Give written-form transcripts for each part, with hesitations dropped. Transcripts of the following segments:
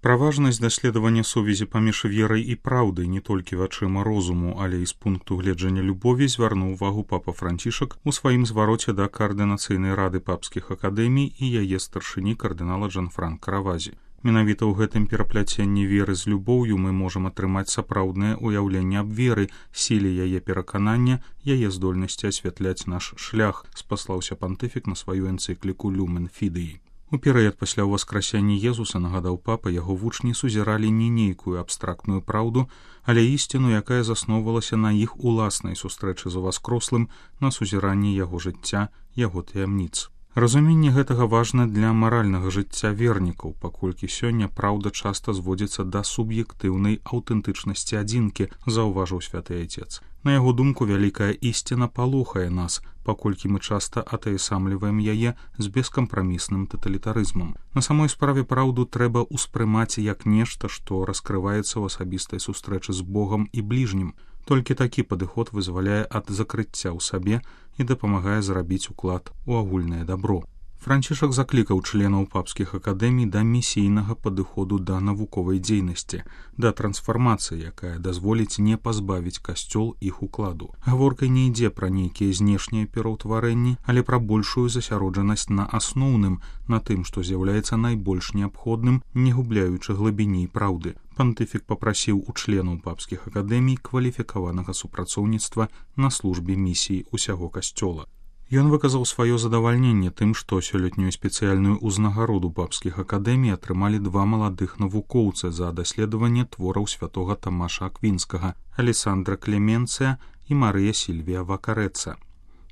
Пра важнасць даследавання сувязі паміж верай і праўдай не толькі вачыма розуму, але і з пункту гледжання любові звярнуў увагу папа Францішак у сваім звароце да каардынацыйнай рады папскіх акадэмій і яе старшыні кардынала Джанфранка Равазі. Менавіта ў гэтым перапляценні веры з любоўю мы можам атрымаць сапраўднае ўяўленне аб веры, сіле яе пераканання, яе здольнасці асвятляць наш шлях, спаслаўся пантыфік на сваю энцыкліку «Люмен Фідеі». У перыяд пасля ўваскрасення Езуса, нагадаў папа, яго вучні сузіралі не нейкую абстрактную праўду, але ісціну, якая засноўвалася на іх уласнай сустрэчы з уваскрослым, на сузіранні яго жыцця, яго таямніц. Разуменне гэтага важна для маральнага жыцця вернікаў, паколькі сёння праўда часта зводзіцца да суб'ектыўнай аўтэнтычнасці адзінкі, заўважыў святы айцец. На яго думку, вялікая ісціна палохае нас, паколькі мы часта атаясамліваем яе з бескампрамісным таталітарызмам. На самой справе праўду трэба ўспрымаць як нешта, што раскрываецца ў асабістай сустрэчы з Богам і бліжнім. Толькі такі падыход вызваляе ад закрыцця ў сабе і дапамагае зрабіць уклад у агульнае дабро. Францішак заклікаў членаў папскіх акадэмій да місійнага падыходу да навуковай дзейнасці, да трансфармацыі, якая дазволіць не пазбавіць касцёл іх укладу. Гаворка не ідзе пра нейкія знешнія пераўтварэнні, але пра большую засяроджанасць на асноўным, на тым, што з'яўляецца найбольш неабходным, не губляючы глыбіні праўды. Пантыфік папрасіў у членаў папскіх акадэмій кваліфікаванага супрацоўніцтва на службе місіі ўсяго касцёла. Ён выказаў сваё задавальненне тым, што сёлетнюю спецыяльную ўзнагароду папскіх акадэмій атрымалі два маладых навукоўцы за даследаванне твораў святога Тамаша Аквінскага, Алесандра Клеменцыя і Марыя Сільвія Вакарэца.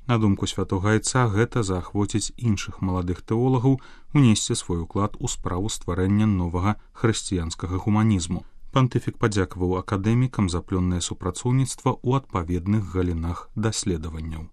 На думку святога айца, гэта заахвоціць іншых маладых тэолагаў унесці свой уклад у справу стварэння новага хрысціянскага гуманізму. Пантыфік падзякаваў акадэмікам за плённае супрацоўніцтва ў адпаведных галінах даследаванняў.